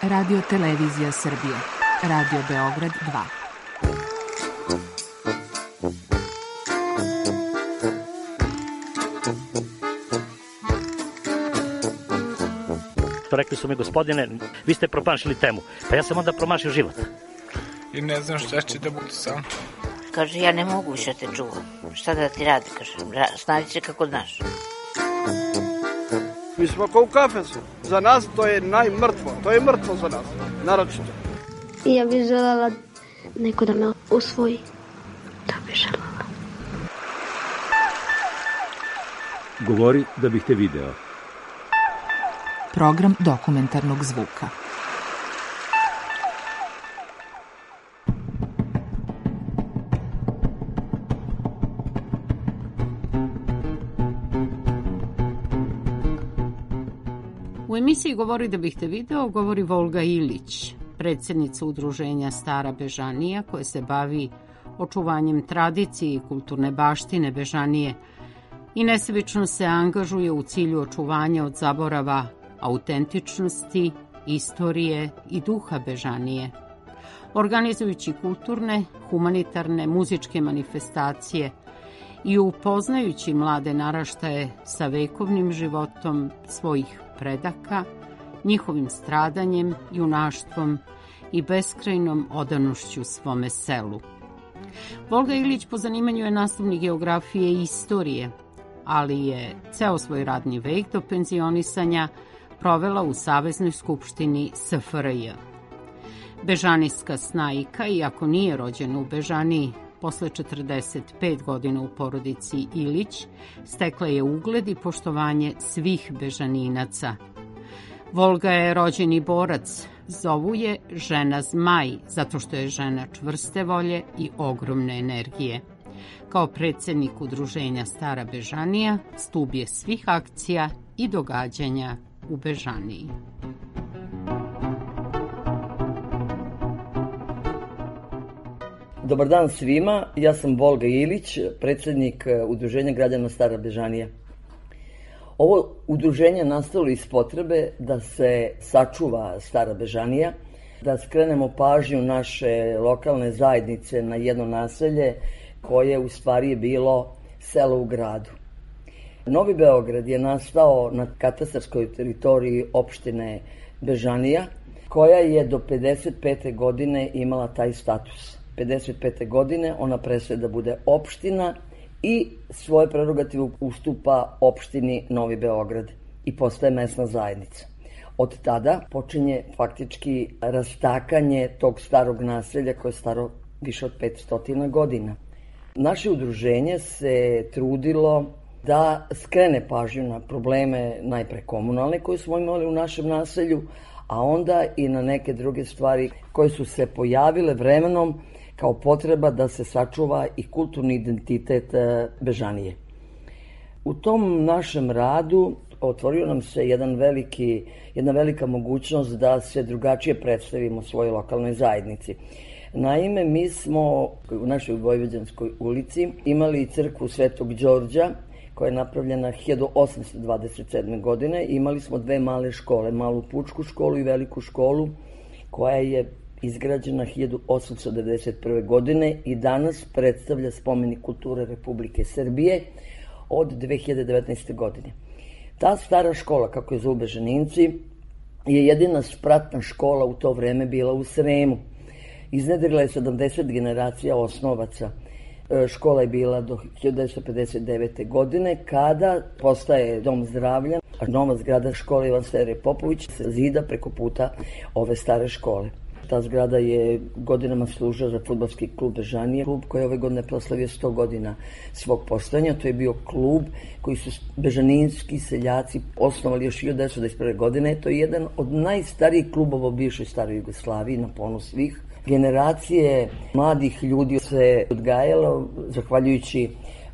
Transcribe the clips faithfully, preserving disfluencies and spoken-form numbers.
Radio Televizija Srbije, Radio Beograd dva. Rekli su mi, gospodine, vi ste promašili temu. Pa ja sam onda promašio život. I ne znam šta će da bude sam. Kaže, ja ne mogu više te čuvam. Šta da ti radi, kaže, snađi se kako znaš. Mi smo kao u kafesu. Za nas to je najmrtvo. To je mrtvo za nas, naročito. Ja bih želela neko da me usvoji. Da bih želela. Govori da bih te video. Program dokumentarnog zvuka. U emisiji Govori da bih te video govori Volga Ilić, predsjednica udruženja Stara Bežanija, koja se bavi očuvanjem tradicije i kulturne baštine Bežanije i nesebično se angažuje u cilju očuvanja od zaborava autentičnosti, istorije i duha Bežanije, organizujući kulturne, humanitarne, muzičke manifestacije i upoznajući mlade naraštaje sa vekovnim životom svojih predaka, njihovim stradanjem, junaštvom i beskrajnom odanošću svome selu. Volga Ilić po zanimanju je nastavnik geografije i istorije, ali je ceo svoj radni vek do penzionisanja provela u Saveznoj skupštini S F R J. Bežanijska snajka, iako nije rođena u Bežaniji, posle četrdeset pet godina u porodici Ilić, stekla je ugled i poštovanje svih Bežaninaca. Volga je rođeni borac, zovu je žena zmaj, zato što je žena čvrste volje i ogromne energije. Kao predsjednik udruženja Stara Bežanija, stub je svih akcija i događanja u Bežaniji. Dobar dan svima, ja sam Volga Ilić, predsjednik udruženja građana Stara Bežanija. Ovo udruženje nastalo iz potrebe da se sačuva Stara Bežanija, da skrenemo pažnju naše lokalne zajednice na jedno naselje koje u stvari je bilo selo u gradu. Novi Beograd je nastao na katastarskoj teritoriji opštine Bežanija, koja je do pedeset pete godine imala taj status. pedeset pete godine ona prestaje da bude opština i svoje prerogative ustupa opštini Novi Beograd i postaje mesna zajednica. Od tada počinje faktički rastakanje tog starog naselja koje je staro više od petsto godina. Naše udruženje se trudilo da skrene pažnju na probleme najpre komunalne koje smo imali u našem naselju, a onda i na neke druge stvari koje su se pojavile vremenom kao potreba da se sačuva i kulturni identitet Bežanije. U tom našem radu otvorio nam se jedan veliki, jedna velika mogućnost da se drugačije predstavimo svojoj lokalnoj zajednici. Naime, mi smo u našoj Vojvođanskoj ulici imali crkvu Svetog Đorđa, koja je napravljena hiljadu osamsto dvadeset sedme. godine. Imali smo dve male škole, malu pučku školu i veliku školu, koja je izgrađena hiljadu osamsto devedeset prve. godine i danas predstavlja spomenik kulture Republike Srbije od dve hiljade devetnaeste. godine. Ta stara škola, kako je zovu Bežaninci, je jedina spratna škola u to vreme bila u Sremu. Iznedrila je sedamdeset generacija osnovaca. Škola je bila do hiljadu devetsto pedeset devete. godine, kada postaje dom zdravlja, a nova zgrada škole Ivan Sterije Popović se zida preko puta ove stare škole. Ta zgrada je godinama služila za fudbalski klub Bežanije, klub koji je ove godine proslavio sto godina svog postojanja. To je bio klub koji su bežaninski seljaci osnovali još hiljadu devetsto devedeset prve. godine. To je jedan od najstarijih klubova u bivšoj staroj Jugoslaviji, na ponos svih. Generacije mladih ljudi se odgajalo zahvaljujući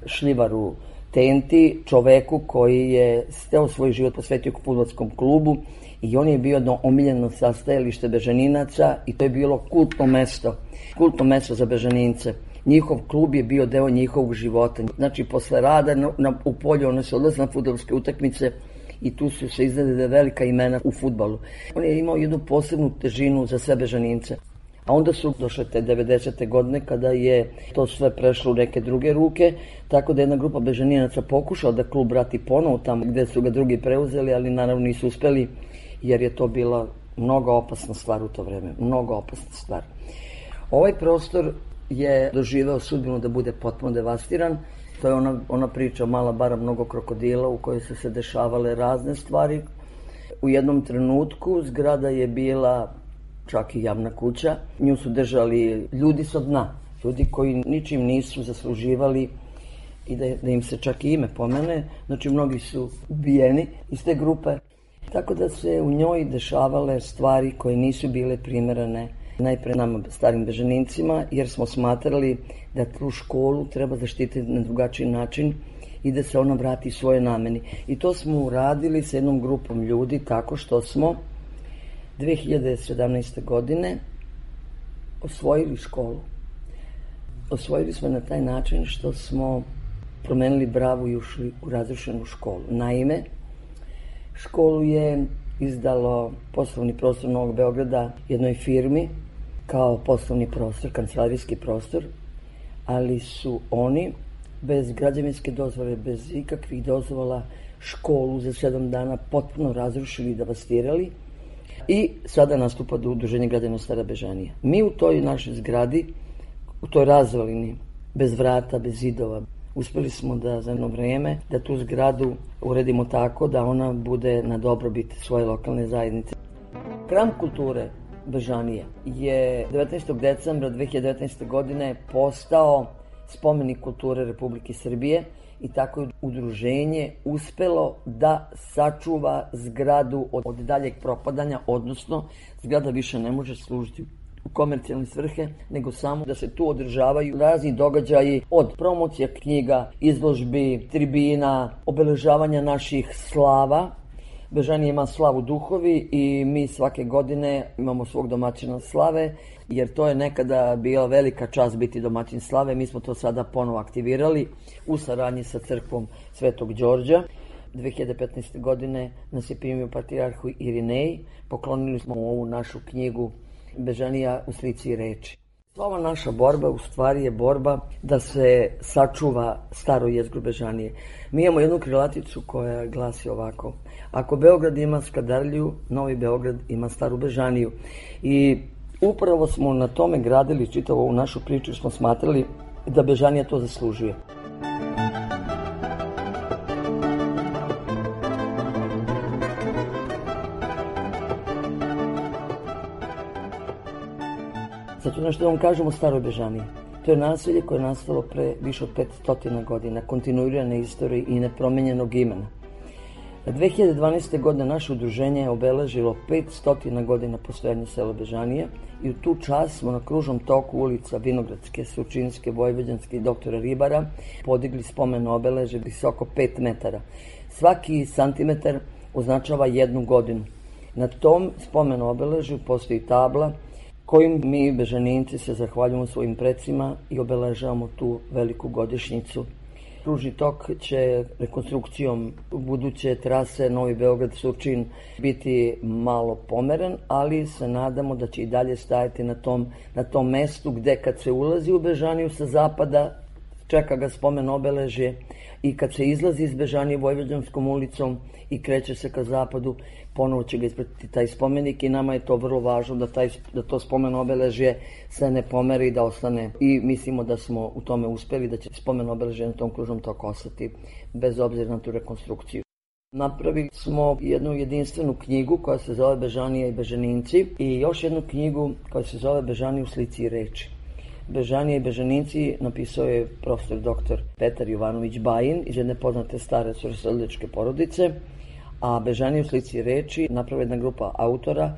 Šljivaru Tenti, čoveku koji je steo svoj život posvetio fudbalskom klubu i on je bio jedno omiljeno sastajalište Bežaninaca i to je bilo kultno mesto, kultno mesto za Bežanince. Njihov klub je bio deo njihovog života. Znači, posle rada na, na, u polju one se odlaze na fudbalske utakmice i tu su se izgledale velika imena u fudbalu. On je imao jednu posebnu težinu za sve Bežanince. A onda su došle te devedesete godine kada je to sve prešlo u neke druge ruke, tako da jedna grupa Bežaninaca pokušala da klub vrati ponovo tamo gde su ga drugi preuzeli, ali naravno nisu uspeli jer je to bila mnogo opasna stvar u to vreme, mnogo opasna stvar. Ovaj prostor je doživeo sudbinu da bude potpuno devastiran. To je ona, ona priča Mala bara mnogo krokodila u kojoj su se dešavale razne stvari. U jednom trenutku zgrada je bila čak i javna kuća. Nju su držali ljudi sa dna, ljudi koji ničim nisu zasluživali i da, da im se čak i ime pomene. Znači mnogi su ubijeni iz te grupe. Tako da se u njoj dešavale stvari koje nisu bile primerane najpre nama starim Bežanincima, jer smo smatrali da tu školu treba zaštititi na drugačiji način i da se ona vrati svoje nameni. I to smo uradili sa jednom grupom ljudi tako što smo dve hiljade sedamnaeste. godine osvojili školu. Osvojili smo na taj način što smo promenili bravu i ušli u razrušenu školu. Naime, školu je izdalo poslovni prostor Novog Beograda jednoj firmi kao poslovni prostor, kancelarijski prostor, ali su oni bez građevinske dozvole, bez ikakvih dozvola školu za sedam dana potpuno razrušili i devastirali i sada nastupa do Udruženja građana Stara Bežanija. Mi u toj našoj zgradi, u toj razvalini, bez vrata, bez zidova, uspeli smo da za jedno vreme da tu zgradu uredimo tako da ona bude na dobrobit svoje lokalne zajednice. Hram kulture Bežanije je devetnaestog decembra dve hiljade devetnaeste. godine postao spomenik kulture Republike Srbije i tako je udruženje uspelo da sačuva zgradu od daljeg propadanja, odnosno zgrada više ne može služiti u komercijalne svrhe, nego samo da se tu održavaju razni događaji od promocija knjiga, izložbi, tribina, obeležavanja naših slava. Bežanija ima slavu duhovi i mi svake godine imamo svog domaćina slave, jer to je nekada bila velika čast biti domaćin slave. Mi smo to sada ponovo aktivirali u saradnji sa crkvom Svetog Đorđa. dve hiljade petnaeste. godine nas je primio patrijarhu Irinej, poklonili smo ovu našu knjigu Bežanija u slici i reči. Ova naša borba u stvari je borba da se sačuva staro jezgro Bežanije. Mi imamo jednu krilaticu koja glasi ovako: ako Beograd ima Skadarliju, Novi Beograd ima Staru Bežaniju. I upravo smo na tome gradili čitavu ovu našu priču, smo smatrali da Bežanija to zaslužuje. Sad ću nešto da vam kažem o Staroj Bežaniji. To je naselje koje je nastalo pre više od petsto godina, kontinuirane istorije i nepromenjenog imena. dve hiljade dvanaeste. godine naše udruženje je obeležilo petsto godina postojanja sela Bežanije i u tu čast smo na kružnom toku ulica Vinogradske, Surčinske, Vojvođanske i doktora Ribara podigli spomen obeležje visoko pet metara. Svaki santimetar označava jednu godinu. Na tom spomen obeležju postoji tabla kojim mi Bežaninci se zahvaljujemo svojim precima i obeležavamo tu veliku godišnjicu. Kružni tok će rekonstrukcijom buduće trase Novi Beograd-Surčin biti malo pomeren, ali se nadamo da će i dalje stajati na tom, na tom mestu gde kad se ulazi u Bežaniju sa zapada čeka ga spomen obeležje i kad se izlazi iz Bežanije Vojvođanskom ulicom i kreće se ka zapadu, ponovo će ga ispratiti taj spomenik i nama je to vrlo važno da, taj, da to spomen obeležje se ne pomeri, da ostane, i mislimo da smo u tome uspeli, da će spomen obeležje na tom kružnom toku ostati bez obzira na tu rekonstrukciju. Napravili smo jednu jedinstvenu knjigu koja se zove Bežanija i Bežaninci i još jednu knjigu koja se zove Bežanija u slici i reči. Bežanija i Bežaninci napisao je profesor doktor Petar Jovanović Bajin iz jedne poznate stare starosredilačke porodice, a Bežanija u slici i reči napravila jedna grupa autora,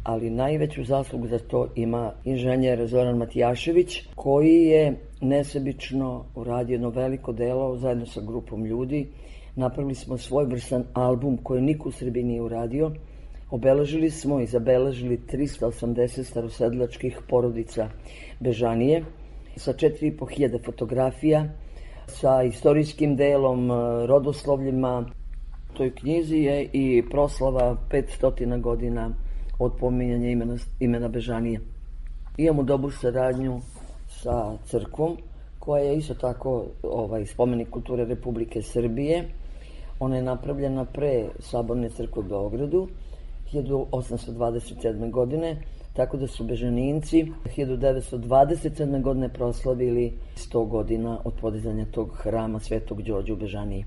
ali najveću zaslugu za to ima inženjer Zoran Matijašević, koji je nesebično uradio jedno veliko delo zajedno sa grupom ljudi. Napravili smo svojevrstan album koji niko u Srbiji nije uradio. Obeležili smo i zabeležili trista osamdeset starosredilačkih porodica Bežanije sa četiri i po hiljade fotografija, sa istorijskim delom, rodoslovljima, U toj knjizi je i proslava petsto godina od pominjanja imena, imena Bežanije. Imamo dobru saradnju sa crkvom, koja je isto tako ovaj, spomenik kulture Republike Srbije. Ona je napravljena pre Saborne crkve u Beogradu, hiljadu osamsto dvadeset sedme. godine, tako da su Bežaninci hiljadu devetsto dvadeset sedme. godine proslavili sto godina od podizanja tog hrama Svetog Đorđa u Bežaniji.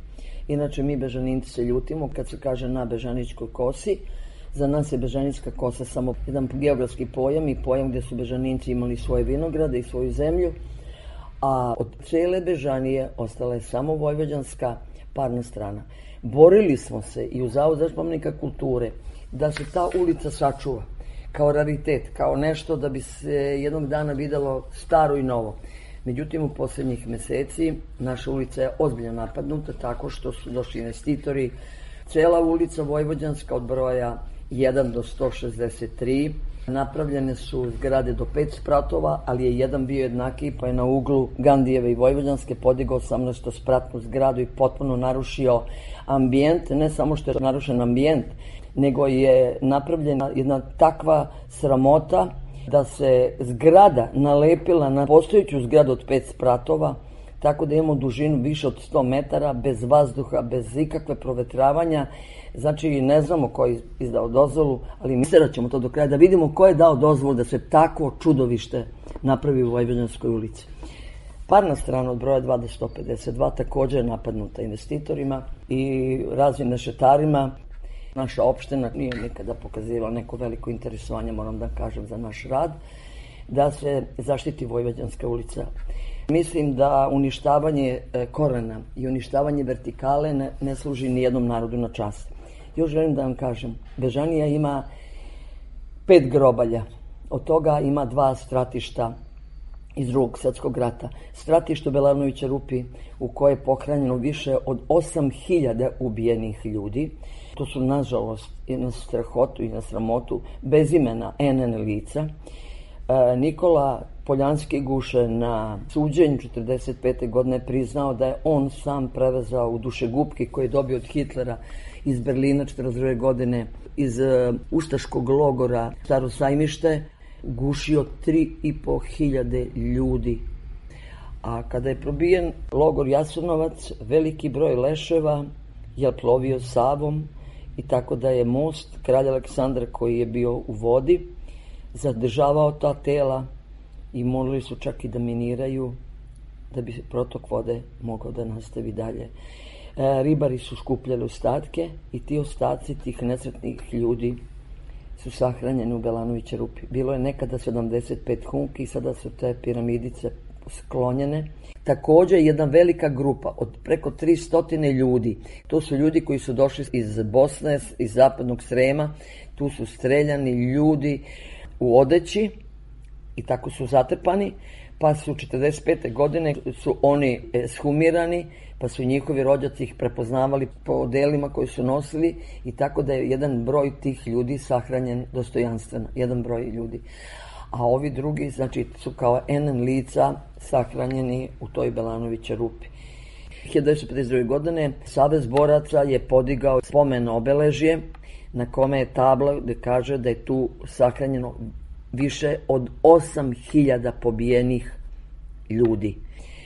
Inače, mi Bežaninci se ljutimo kad se kaže na Bežaničkoj kosi. Za nas je Bežanijska kosa samo jedan geografski pojam i pojam gdje su Bežaninci imali svoje vinograde i svoju zemlju, a od cele Bežanije ostala je samo vojvođanska parna strana. Borili smo se i u Zavodu za spomenika kulture da se ta ulica sačuva kao raritet, kao nešto da bi se jednog dana videlo staro i novo. Međutim, u posljednjih meseci naša ulica je ozbiljno napadnuta tako što su došli investitori. Cela ulica Vojvođanska od broja jedan do sto šezdeset tri. Napravljene su zgrade do pet spratova, ali je jedan bio jednaki, pa je na uglu Gandijeve i Vojvođanske podigao osamnaesto spratnu zgradu i potpuno narušio ambijent. Ne samo što je narušen ambijent, nego je napravljena jedna takva sramota da se zgrada nalepila na postojeću zgradu od pet spratova, tako da imamo dužinu više od sto metara, bez vazduha, bez ikakve provetravanja. Znači, ne znamo ko je izdao dozvolu, ali mislim da ćemo to do kraja, da vidimo ko je dao dozvolu da se tako čudovište napravi u Vojvođanskoj ulici. Parna strana od broja dva do sto pedeset dva također je napadnuta investitorima i raznim nešetarima. Naša opština nije nikada pokazivala neko veliko interesovanje, moram da kažem, za naš rad, da se zaštiti Vojvođanska ulica. Mislim da uništavanje korena i uništavanje vertikale ne, ne služi ni jednom narodu na čast. Još želim da vam kažem, Bežanija ima pet grobalja, od toga ima dva stratišta iz Drugog svjetskog rata. Stratište u Belanovića Rupi, u koje je pohranjeno više od osam hiljada ubijenih ljudi. To su, nažalost, i na strahotu i na sramotu bez imena en en lica. E, Nikola Poljanski Guše na suđenju četrdeset pete. godine priznao da je on sam prevezao u dušegupki koje je dobio od Hitlera iz Berlina četrdeset druge. godine iz uh, ustaškog logora Staro Sajmište, gušio tri i po hiljade ljudi. A kada je probijen logor Jasenovac, veliki broj leševa je plovio Savom i tako da je most kralja Aleksandra, koji je bio u vodi, zadržavao ta tela i morali su čak i da miniraju da bi protok vode mogao da nastavi dalje. E, ribari su skupljali ostatke i ti ostaci tih nesretnih ljudi su sahranjeni u Belanovića Rupi. Bilo je nekada sedamdeset pet humki i sada su te piramidice sklonjene. Također jedna velika grupa od preko tristo ljudi, to su ljudi koji su došli iz Bosne, iz zapadnog Srema, tu su streljani ljudi u odeći i tako su zatrpani, pa su četrdeset pete. godine su oni ekshumirani, pa su njihovi rođaci ih prepoznavali po odelima koji su nosili i tako da je jedan broj tih ljudi sahranjen dostojanstveno, jedan broj ljudi. A ovi drugi, znači, su kao en en lica sahranjeni u toj Belanovića Rupi. hiljadu devetsto pedeset druge. godine Savez boraca je podigao spomen obeležje na kome je tabla gde kaže da je tu sahranjeno više od osam hiljada pobijenih ljudi.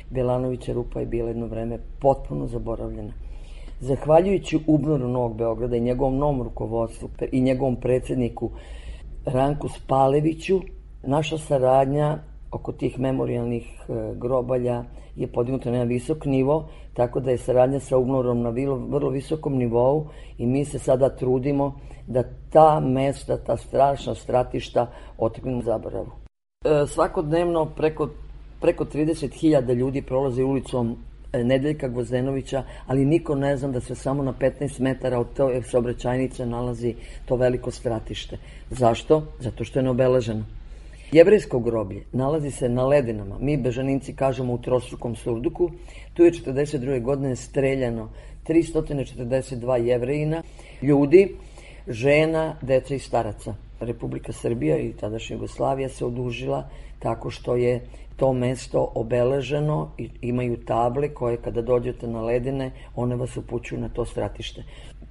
Belanovića Rupa je bila jedno vreme potpuno zaboravljena. Zahvaljujući UBNOR-u Novog Beograda i njegovom novom rukovodstvu i njegovom predsjedniku Ranku Spaleviću, naša saradnja oko tih memorijalnih grobalja je podignuta na jedan visok nivo, tako da je saradnja sa UBNOR-om na vrlo visokom nivou i mi se sada trudimo da ta mesta, ta strašna stratišta otrgnemo zaboravu. E, svakodnevno preko, preko trideset hiljada ljudi prolaze ulicom Nedeljka Gvozdenovića, ali niko ne zna da se samo na petnaest metara od te saobraćajnice nalazi to veliko stratište. Zašto? Zato što je neobeleženo. Jevrejsko groblje nalazi se na Ledinama. Mi Bežaninci kažemo u trostrukom surduku. Tu je četrdeset druge. godine streljano tristo četrdeset dva Jevrejina, ljudi, žena, deca i staraca. Republika Srbija i tadašnja Jugoslavija se odužila tako što je to mesto obeleženo i imaju table koje kada dođete na Ledine, one vas upućuju na to stratište.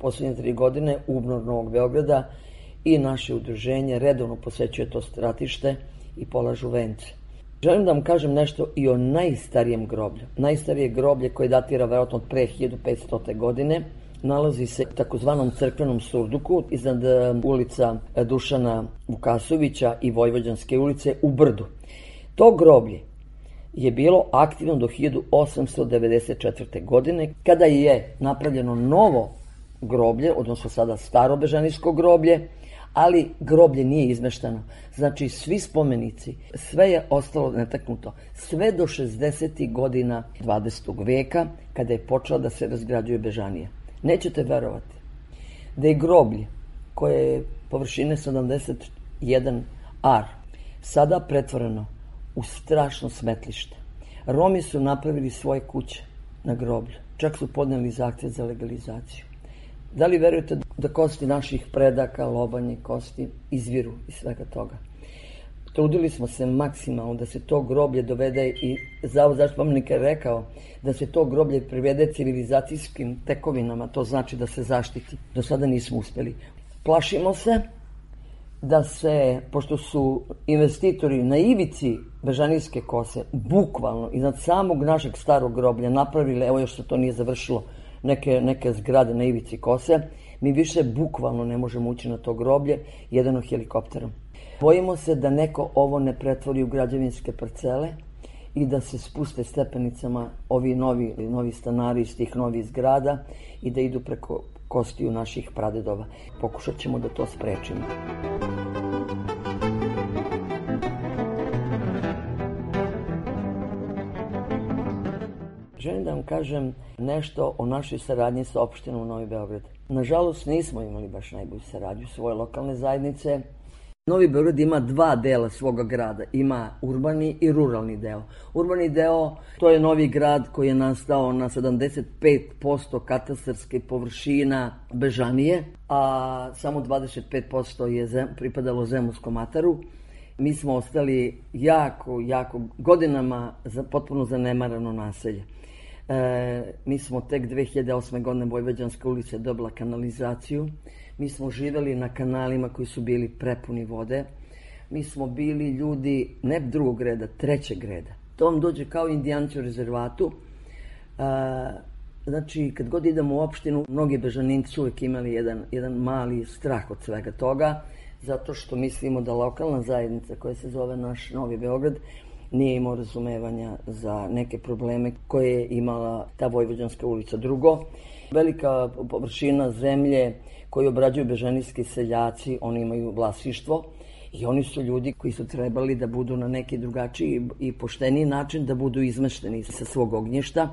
Poslednje tri godine UBNOR Novog Beograda i naše udruženje redovno posećuje to stratište i polažu vence. Želim da vam kažem nešto i o najstarijem groblju. Najstarije groblje koje datira verovatno od pre hiljadu petsto. godine nalazi se u takozvanom crkvenom surduku iznad ulica Dušana Vukasovića i Vojvođanske ulice u Brdu. To groblje je bilo aktivno do hiljadu osamsto devedeset četvrte. godine, kada je napravljeno novo groblje, odnosno sada staro bežanijsko groblje, ali groblje nije izmeštano. Znači, svi spomenici, sve je ostalo netaknuto. Sve do šezdesetih godina dvadesetog veka, kada je počela da se razgrađuje Bežanija. Nećete verovati da je groblje, koje je površine sedamdeset jedan ar, sada pretvoreno u strašno smetlište. Romi su napravili svoje kuće na groblju. Čak su podneli zahtev za legalizaciju. Da li verujete da kosti naših predaka, lobanje, kosti izviru iz svega toga? Trudili smo se maksimalno da se to groblje dovede i Zavod zaštitu spomenika je rekao da se to groblje privede civilizacijskim tekovinama, to znači da se zaštiti. Do sada nismo uspeli. Plašimo se da se, pošto su investitori na ivici Bežanijske kose, bukvalno iznad samog našeg starog groblja napravili, evo još se to nije završilo, neke, neke zgrade na ivici kose, mi više bukvalno ne možemo ući na to groblje, jedino helikopterom. Bojimo se da neko ovo ne pretvori u građevinske parcele i da se spuste stepenicama ovi novi, novi stanari iz tih novih zgrada i da idu preko kostiju naših pradedova. Pokušat ćemo da to sprečimo. Želim da vam kažem nešto o našoj saradnji sa opštinom Novi Beograd. Nažalost, nismo imali baš najbolju saradnju svoje lokalne zajednice. Novi Beograd ima dva dela svoga grada. Ima urbani i ruralni deo. Urbani deo, to je Novi Grad koji je nastao na sedamdeset pet posto katastarske površina Bežanije, a samo dvadeset pet posto je zem, pripadalo Zemunskom ataru. Mi smo ostali jako, jako godinama za, potpuno zanemarano naselje. E, mi smo tek dve hiljade osme. godine Vojvođanska ulica dobila kanalizaciju. Mi smo živeli na kanalima koji su bili prepuni vode. Mi smo bili ljudi ne drugog reda, trećeg reda. To vam dođe kao indijanci u rezervatu. E, znači, kad god idemo u opštinu, mnogi Bežaninci uvijek imali jedan, jedan mali strah od svega toga, zato što mislimo da lokalna zajednica koja se zove naš Novi Beograd nije imao razumevanja za neke probleme koje je imala ta Vojvođanska ulica. Drugo, velika površina zemlje koju obrađuju bežanijski seljaci, oni imaju vlasništvo i oni su ljudi koji su trebali da budu na neki drugačiji i pošteniji način da budu izmešteni sa svog ognjišta.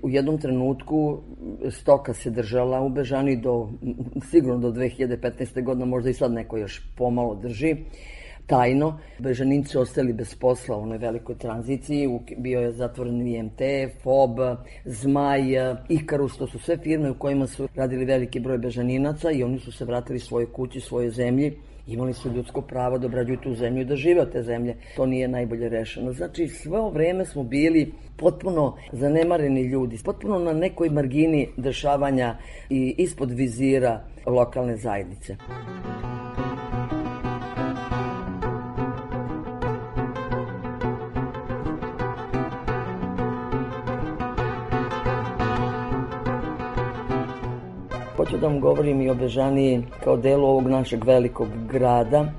U jednom trenutku stoka se držala u Bežani do, sigurno do dve hiljade petnaeste. godine, možda i sad neko još pomalo drži, tajno. Bežaninci ostali bez posla u onoj velikoj tranziciji, bio je zatvoren I M T, F O B, Zmaj, Ikarus, to su sve firme u kojima su radili veliki broj Bežaninaca i oni su se vratili svojoj kući, svojoj zemlji. Imali su ljudsko pravo da obrađuju tu zemlju i da žive od te zemlje. To nije najbolje rešeno. Znači, sve ovo vreme smo bili potpuno zanemareni ljudi, potpuno na nekoj margini dešavanja i ispod vizira lokalne zajednice. Hoću da vam govorim i o Bežaniji kao delu ovog našeg velikog grada,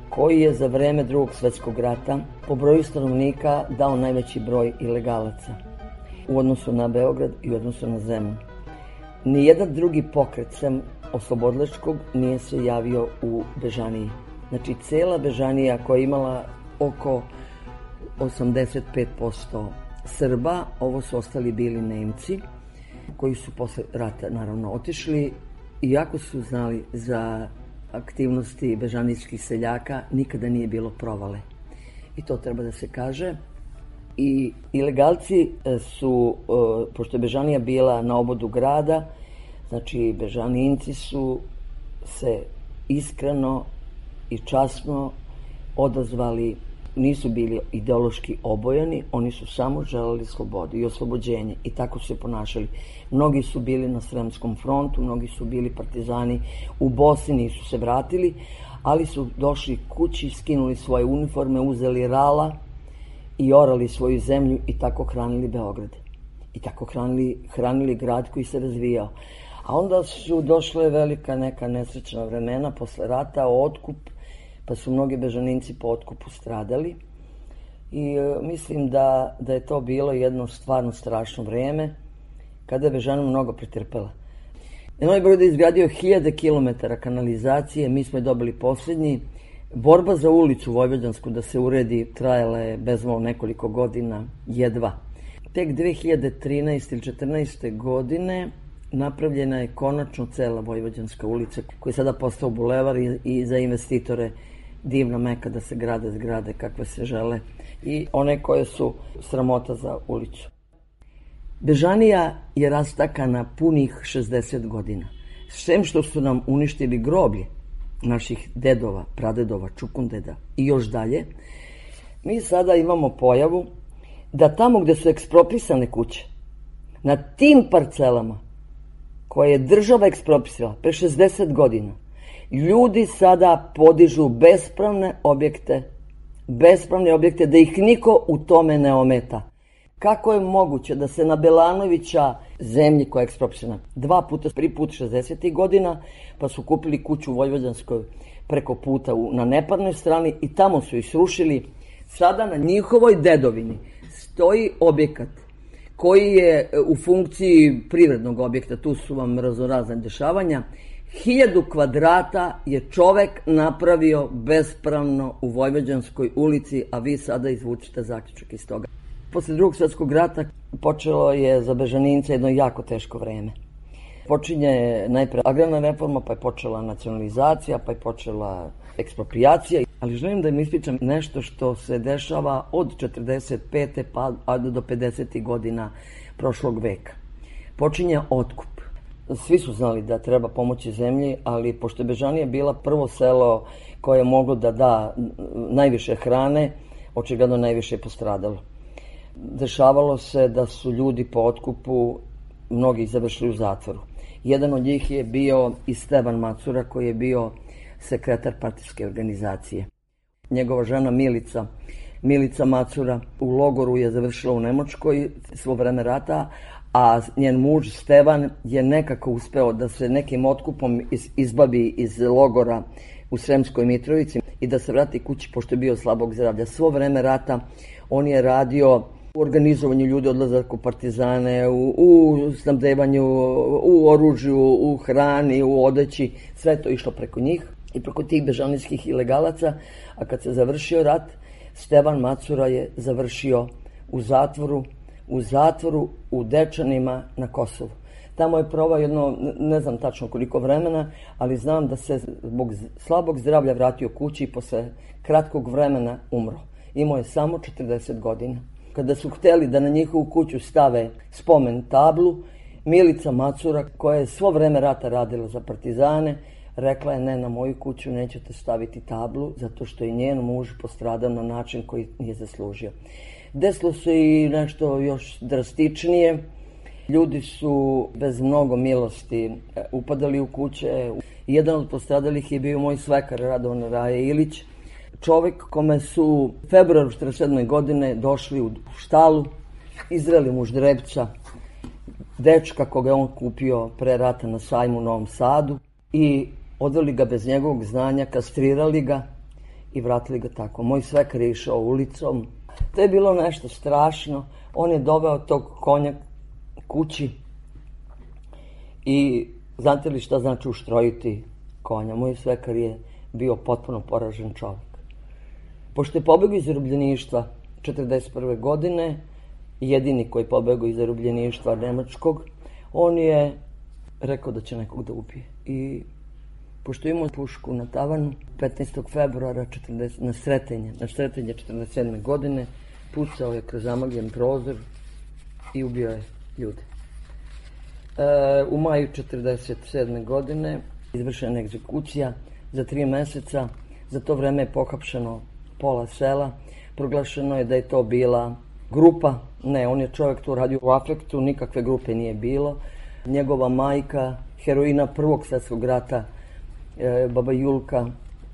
koji je za vreme drugog svjetskog rata po broju stanovnika dao najveći broj ilegalaca u odnosu na Beograd i u odnosu na Zemun. Nijedan drugi pokret sem oslobodilačkog nije se javio u Bežaniji. Znači, cela Bežanija koja je imala oko osamdeset pet posto Srba, ovo su ostali bili Nemci, koji su posle rata naravno otišli, iako su znali za aktivnosti bežanijskih seljaka, nikada nije bilo provale. I to treba da se kaže. I ilegalci su, pošto je Bežanija bila na obodu grada, znači Bežaninci su se iskreno i časno odazvali nisu bili ideološki obojani, oni su samo želeli slobodu i oslobođenje i tako su se ponašali. Mnogi su bili na Sremskom frontu, mnogi su bili partizani u Bosni, nisu se vratili, ali su došli kući, skinuli svoje uniforme, uzeli rala i orali svoju zemlju i tako hranili Beograd. I tako hranili, hranili grad koji se razvijao. A onda su došle velika neka nesrećna vremena posle rata, otkup, pa su mnogi bežaninci po otkupu stradali. I e, mislim da, da je to bilo jedno stvarno strašno vreme, kada je Bežana mnogo pretrpela. Novi Beograd je izgradio hiljade kilometara kanalizacije, mi smo je dobili posljednji. Borba za ulicu Vojvođansku da se uredi trajala je bezmalo nekoliko godina, jedva. Tek dve hiljade trinaeste ili četrnaeste. godine napravljena je konačno cela Vojvođanska ulica, koja je sada postao bulevar i, i za investitore divna meka da se grade zgrade kakve se žele i one koje su sramota za ulicu. Bežanija je rastakana punih šezdeset godina. Sem što su nam uništili groblje naših dedova, pradedova, čukundeda i još dalje, mi sada imamo pojavu da tamo gde su ekspropisane kuće, na tim parcelama koje je država ekspropisala pre šezdeset godina, ljudi sada podižu bespravne objekte, bespravne objekte da ih niko u tome ne ometa. Kako je moguće da se na Belanovića zemlji koja je ekspropisana dva puta, prvi put šezdesetih godina, pa su kupili kuću u Vojvođanskoj preko puta na neparnoj strani i tamo su ih srušili. Sada na njihovoj dedovini stoji objekat koji je u funkciji privrednog objekta, tu su vam raznorazne dešavanja. Hiljadu kvadrata je čovek napravio bespravno u Vojvođanskoj ulici, a vi sada izvučite zaključak iz toga. Posle drugog svjetskog rata počelo je za Bežanince jedno jako teško vreme. Počinje najpre agrarna reforma, pa je počela nacionalizacija, pa je počela eksproprijacija. Ali želim da im ispričam nešto što se dešava od četrdeset pete pa do pedesetih godina prošlog veka. Počinje otkup. Svi su znali da treba pomoći zemlji, ali pošto je Bežanija bila prvo selo koje je moglo da da najviše hrane, očigledno najviše je postradalo. Dešavalo se da su ljudi po otkupu, mnogi završili u zatvoru. Jedan od njih je bio i Stevan Macura, koji je bio sekretar partijske organizacije. Njegova žena Milica, Milica Macura, u logoru je završila u Nemačkoj svo vreme rata, a njen muž Stevan je nekako uspeo da se nekim otkupom izbavi iz logora u Sremskoj Mitrovici i da se vrati kući pošto je bio slabog zdravlja. Svo vreme rata on je radio u organizovanju ljudi, odlazak u partizane, u, u snabdevanju, u oružju, u hrani, u odeći, sve to išlo preko njih i preko tih bežanijskih ilegalaca, a kad se završio rat, Stevan Macura je završio u zatvoru, u zatvoru u Dečanima na Kosovu. Tamo je provao jedno, ne znam tačno koliko vremena, ali znam da se zbog slabog zdravlja vratio kući i posle kratkog vremena umro. Imao je samo četrdeset godina. Kada su hteli da na njihovu kuću stave spomen tablu, Milica Macura, koja je svo vreme rata radila za partizane, rekla je ne, na moju kuću nećete staviti tablu, zato što je njen muž postradao na način koji nije zaslužio. Desilo se i nešto još drastičnije. Ljudi su bez mnogo milosti upadali u kuće. Jedan od postradalih je bio moj svekar Radovan Raje Ilić, čovjek kome su u februaru četrdeset sedme. godine došli u štalu, izreli mu ždrebca, dečka koga je on kupio pre rata na sajmu u Novom Sadu i odveli ga bez njegovog znanja, kastrirali ga i vratili ga tako. Moj svekar je išao ulicom. To je bilo nešto strašno. On je doveo tog konja kući i znate li šta znači uštrojiti konja? Moj svekar je bio potpuno poražen čovjek. Pošto je pobegao iz zarobljeništva četrdeset prve. godine, jedini koji je pobegao iz zarobljeništva nemačkog, on je rekao da će nekog da ubije. I pošto je imao pušku na tavanu, petnaestog februara četrdeset na Sretenje, na Sretenje četrdeset sedme. godine, pucao je kroz zamagljen prozor i ubio je ljude. E, u maju četrdeset sedme. godine izvršena egzekucija za tri meseca. Za to vreme je pohapšeno pola sela. proglašeno je da je to bila grupa. Ne, on je čovjek tu radio u afektu, nikakve grupe nije bilo. Njegova majka, heroina Prvog svjetskog rata, e, baba Julka,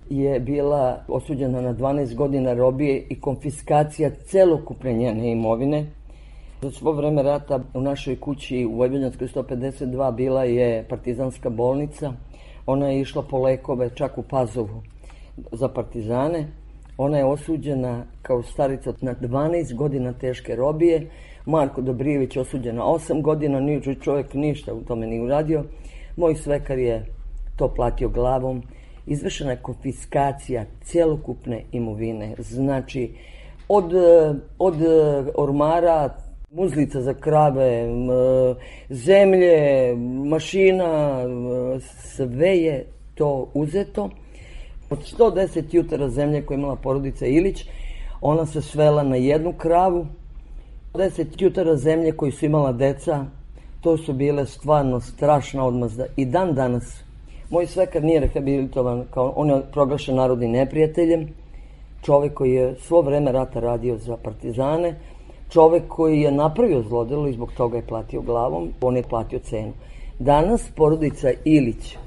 je bila osuđena na dvanaest godina robije i konfiskacija celokupne njene imovine. Za svo vreme rata u našoj kući u Vojvođanskoj sto pedeset dva bila je partizanska bolnica. Ona je išla po lekove čak u Pazovu za partizane. Ona je osuđena kao starica na dvanaest godina teške robije. Marko Dobrijević je osuđen na osam godina, niđu čovjek ništa u tome nije uradio. Moj svekar je to platio glavom. Izvršena je konfiskacija celokupne imovine. Znači, od, od ormara, muzlica za krave, zemlje, mašina, sve je to uzeto. Od sto deset jutara zemlje koje je imala porodica Ilić, ona se svela na jednu kravu. deset jutara zemlje koji su imala deca, to su bile stvarno strašna odmazda. I dan danas, moj svekar nije rehabilitovan, kao on je proglašen narodnim neprijateljem, čovjek koji je svo vreme rata radio za partizane, čovjek koji je napravio zlodelo i zbog toga je platio glavom, on je platio cenu. Danas porodica Ilić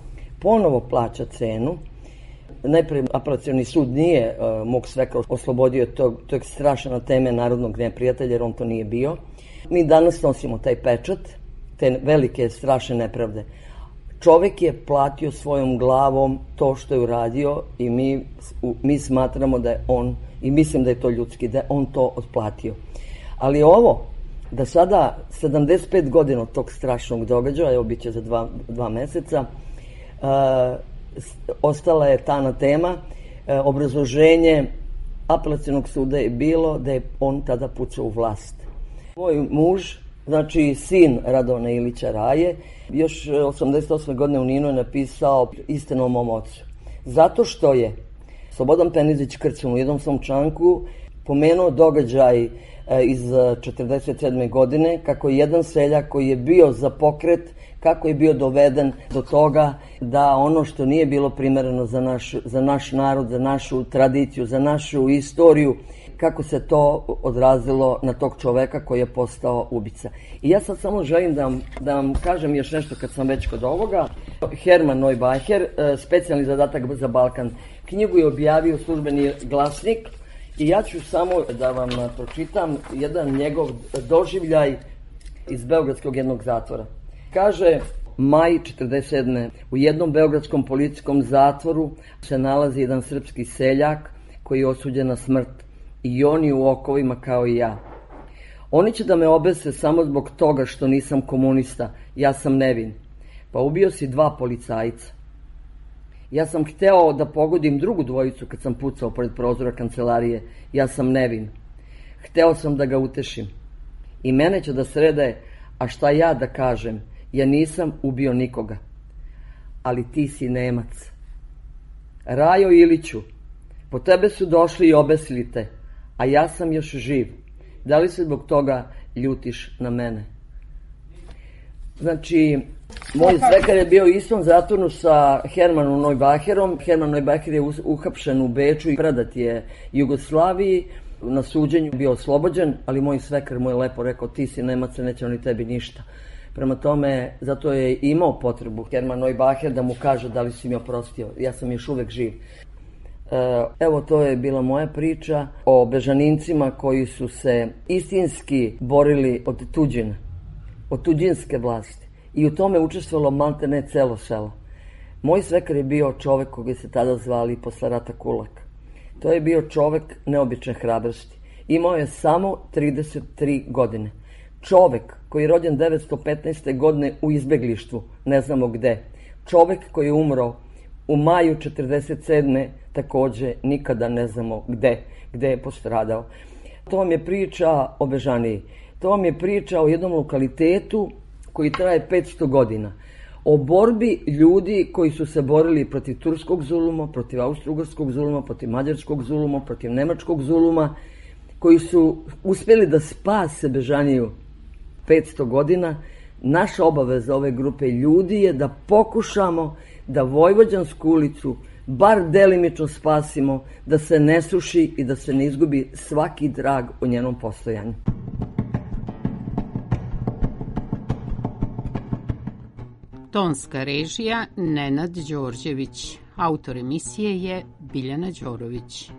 ponovo plaća cenu. Najprije apelacioni sud nije uh, mog svekra oslobodio tog, tog strašne teme narodnog neprijatelja, jer on to nije bio. Mi danas nosimo taj pečat, te velike strašne nepravde. Čovjek je platio svojom glavom to što je uradio i mi, mi smatramo da je on, i mislim da je to ljudski, da je on to otplatio. Ali ovo, da sada sedamdeset pet godina od tog strašnog događaja, evo bit će za dva, dva meseca, uh, ostala je ta tema. E, obrazloženje apelacionog suda je bilo da je on tada pucao u vlast. Moj muž, znači sin Radovana Ilića Raje, još osamdeset osme godine u Ninu je napisao istinu o mom ocu. Zato što je Slobodan Penizić Krcun u jednom svom članku pomenuo događaj e, iz četrdeset sedme godine, kako je jedan seljak koji je bio za pokret, kako je bio doveden do toga da ono što nije bilo primereno za naš, za naš narod, za našu tradiciju, za našu istoriju, kako se to odrazilo na tog čoveka koji je postao ubica. I ja sad samo želim da vam, da vam kažem još nešto kad sam već kod ovoga. Herman Neubacher, specijalni zadatak za Balkan, knjigu je objavio Službeni glasnik i ja ću samo da vam pročitam jedan njegov doživljaj iz beogradskog jednog zatvora. Kaže, maj četrdeset sedme u jednom beogradskom policijskom zatvoru se nalazi jedan srpski seljak koji je osuđen na smrt i on je u okovima kao i ja. Oni će da me obese samo zbog toga što nisam komunista, ja sam nevin. Pa ubio si dva policajca. Ja sam hteo da pogodim drugu dvojicu kad sam pucao pored prozora kancelarije, ja sam nevin. Hteo sam da ga utešim. I mene će da srede, a šta ja da kažem? Ja nisam ubio nikoga, ali ti si Nemac. Rajo Iliću, po tebe su došli i obesili te, a ja sam još živ. Da li se zbog toga ljutiš na mene? Znači, moj svekar je bio u istom zatvornu sa Hermanom Neubacherom. Herman Neubacher je uhapšen u Beču i predat je Jugoslaviji. Na suđenju bio oslobođen, ali moj svekar mu je lepo rekao, ti si Nemac, neće oni tebi ništa. Prema tome, zato je imao potrebu Herman Neubacher da mu kaže da li si mi oprostio. Ja sam još uvek živ. Evo, to je bila moja priča o Bežanincima koji su se istinski borili od tuđine, od tuđinske vlasti. I u tome učestvovalo maltene celo selo. Moj svekar je bio čovek koga se tada zvali posle rata Kulak. To je bio čovek neobične hrabrosti. Imao je samo trideset tri godine. Čovek koji je rođen devetsto petnaeste. godine u izbeglištvu, ne znamo gde. Čovek koji je umro u maju četrdeset sedme. takođe nikada ne znamo gde, gde je postradao. To vam je priča o Bežaniji. To vam je priča o jednom lokalitetu koji traje petsto godina. O borbi ljudi koji su se borili protiv turskog zuluma, protiv austrougarskog zuluma, protiv mađarskog zuluma, protiv nemačkog zuluma, koji su uspjeli da spase Bežaniju petsto godina. Naša obaveza ove grupe ljudi je da pokušamo da Vojvođansku ulicu bar delimično spasimo, da se ne suši i da se ne izgubi svaki drag o njenom postojanju. Tonska režija Nenad Đorđević. Autor emisije je Biljana Đorović.